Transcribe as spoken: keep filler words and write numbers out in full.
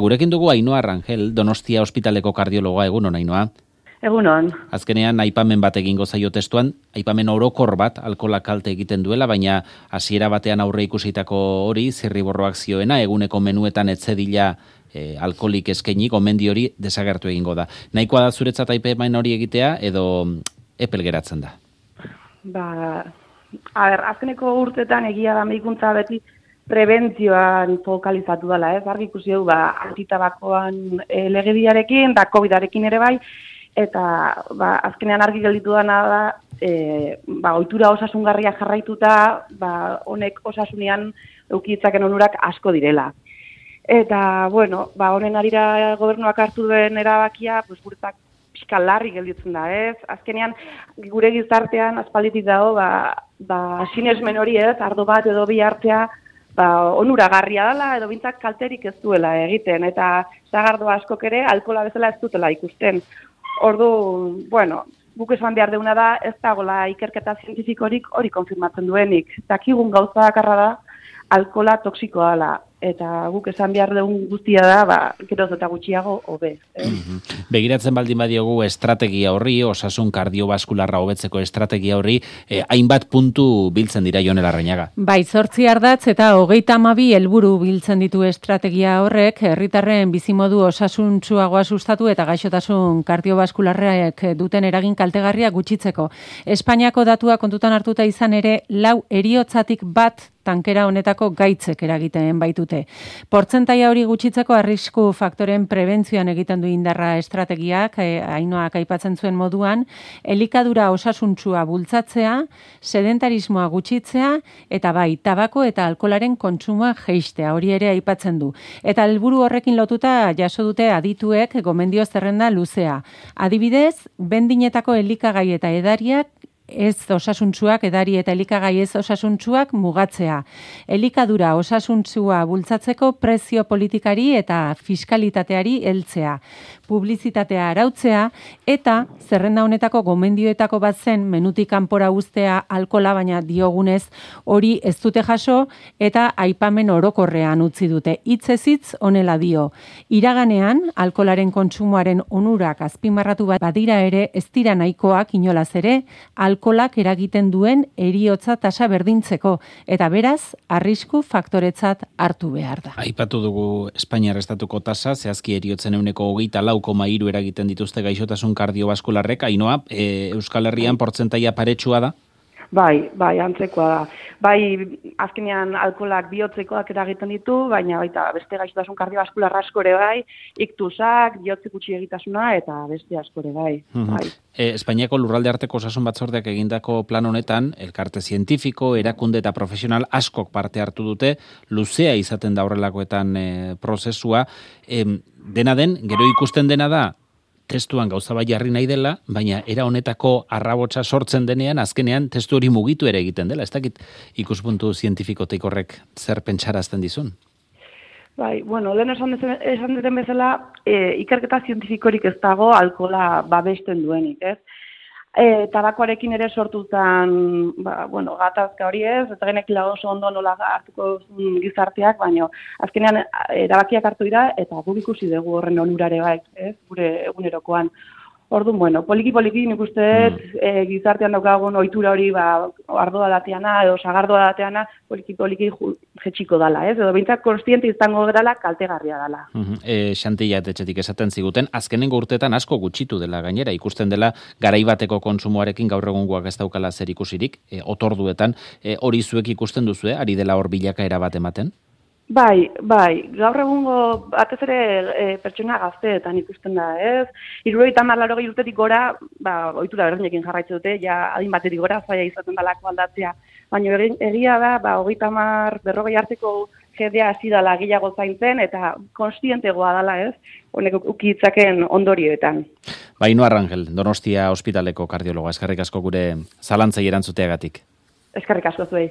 Gurekin dugu Ainhoa Rangel, Donostia ospitaleko kardiologoa. Egunon, Ainhoa. Egunon. Azkenean aipamen bat egingo zaio testuan, aipamen orokor bat alkoholak kalte egiten duela, baina hasiera batean aurre ikusitako hori zirriborroak zioena, eguneko menuetan etzedila e, alkoholik eskaini, gomendi hori desagertu egingo da. Nahikoa da zuretzat aipamen hori egitea edo epel geratzen da? Ba, a ber, azkeneko urtetan egia da medikuntza beti prebentzioan fokalizatu dela, ez? Argi ikusi dugu, ba, antitabakoan e, legediarekin, da covidarekin ere bai, eta ba, azkenean argi gelditu dana da, e, ba, ohitura osasungarria jarraituta, ba, honek osasunean eukitzaken onurak asko direla. Eta, bueno, ba, honen arira gobernuak hartu duen erabakia, pues, guretzak pixka larri gelditzen da, ez? Azkenean, gure gizartean, aspalditik dago, ba, ba, sinesmen hori, ez? Ardo bat edo bi hartzea, ba, onuragarria dela, edo bintzak kalterik ez duela egiten, eta sagardo askok ere alkohola bezala ez dutela ikusten. Ordu, bueno, guk esan behar deuna da, ez dagoela ikerketa zientifikorik hori konfirmatzen duenik. Dakigun gauza bakarra da, alkohola toksikoa dela. Eta guk esan behar dugun guztia da, ba, geroz eta gutxiago hobe. Eh? Mm-hmm. Begiratzen baldin badiogu estrategia horri, osasun kardiobaskularra hobetzeko estrategia horri, eh, hainbat puntu biltzen dira Jon Larrañaga. Bai, zortzi ardatz eta hogeita hamabi helburu biltzen ditu estrategia horrek, herritarren bizimodu osasuntsuagoa sustatu eta gaixotasun kardiobaskularrek duten eragin kaltegarria gutxitzeko. Espainiako datua kontutan hartuta izan ere, lau heriotzatik bat tankera honetako gaitzek eragiten baitute. Portzentaia hori gutxitzeko arrisku faktoren prebentzioan egiten du indarra estrategiak, eh, Ainhoak aipatzen zuen moduan, elikadura osasuntsua bultzatzea, sedentarismoa gutxitzea, eta bai, tabako eta alkoholaren kontsumoa jeistea, hori ere aipatzen du. Eta helburu horrekin lotuta jaso dute adituek gomendio zerrenda luzea. Adibidez, bendinetako elikagai eta edariak ez osasuntsuak, edari eta elikagai ez osasuntsuak mugatzea. Elikadura osasuntsua bultzatzeko prezio politikari eta fiskalitateari heltzea. Publizitatea arautzea eta zerrenda honetako gomendioetako bat zen menutik kanpora uztea alkohola, baina diogunez hori ez dute jaso eta aipamen orokorrean utzi dute. Hitzez hitz honela dio. Iraganean alkoholaren kontsumoaren onurak azpimarratu badira ere ez dira nahikoak inolaz ere alkoholak eragiten duen heriotza tasa berdintzeko, eta beraz, arrisku faktoretzat hartu behar da. Aipatu dugu Espainiar estatuko tasa, zehazki heriotzen ehuneko hogeita lau koma hiru eragiten dituzte gaixotasun kardiobaskularrek. Ainhoa, e, Euskal Herrian portzentaia paretsua da? Bai, bai, antzekoa da. Bai, azkenean alkoholak bihotzekoak eragiten ditu, baina baita beste gaixotasun kardiobaskular asko ere bai, iktusak, bihotze gutxi egitasuna eta beste asko ere bai. Uh-huh. bai. E, Espainiako lurralde arteko osasun batzordeak egindako plan honetan, elkarte zientifiko, erakunde eta profesional askok parte hartu dute, luzea izaten da horrelakoetan e, prozesua. E, dena den, gero ikusten dena da, testuan gauza bai jarri nahi dela, baina era honetako arrabotsa sortzen denean, azkenean testu hori mugitu ere egiten dela. Ez dakit ikuspuntu zientifikotik horrek zer pentsarazten dizun? Bai, bueno, lehen esan, esan duten bezala, e, ikerketa zientifikorik ez dago alkohola babesten duenik, ez? E, tabakoarekin ere sortutan, ba, bueno, gatazka hori ez, eta genekila oso ondo nola hartuko gizarteak, baina azkenean erabakiak hartu dira, eta guk ikusi dugu horren onurare bai, ez, gure egunerokoan. Orduan, bueno, poliki-poliki nik uste dut, mm. e, gizartean daukagun ohitura hori, ba, ardoa dateana, edo sagardoa dateana, poliki-poliki jetxiko dala, ez? Edo bintzat konstiente izango dela, kaltegarria dela. Mm-hmm. E, Xantilla etxetik esaten ziguten, azkenengo urteetan asko gutxitu dela gainera, ikusten dela garaibateko kontsumoarekin gaur egungoak ez daukala zer ikusirik, e, otorduetan, e, hori zuek ikusten duzue, ari dela hor bilakaera bat ematen? Bai, bai, gaur egungo batez ere e, pertsona gazteetan ikusten da, ez? Hirurogeita hamar laurogei urtetik gora, ba, ohitura berdinekin jarraitzen dute, ja adin batetik gora zaila izaten dalako aldatzea. Baina egia da, ba, hogeita hamar berrogei arteko jendea hasi dela gehiago zaintzen eta konstientegoa dela, ez? Honek ukitzaken ondorioetan. Ba, Ainhoa Rangel, Donostia ospitaleko kardiologa, eskerrik asko gure zalantzei erantzuteagatik. Eskerrik asko zuei.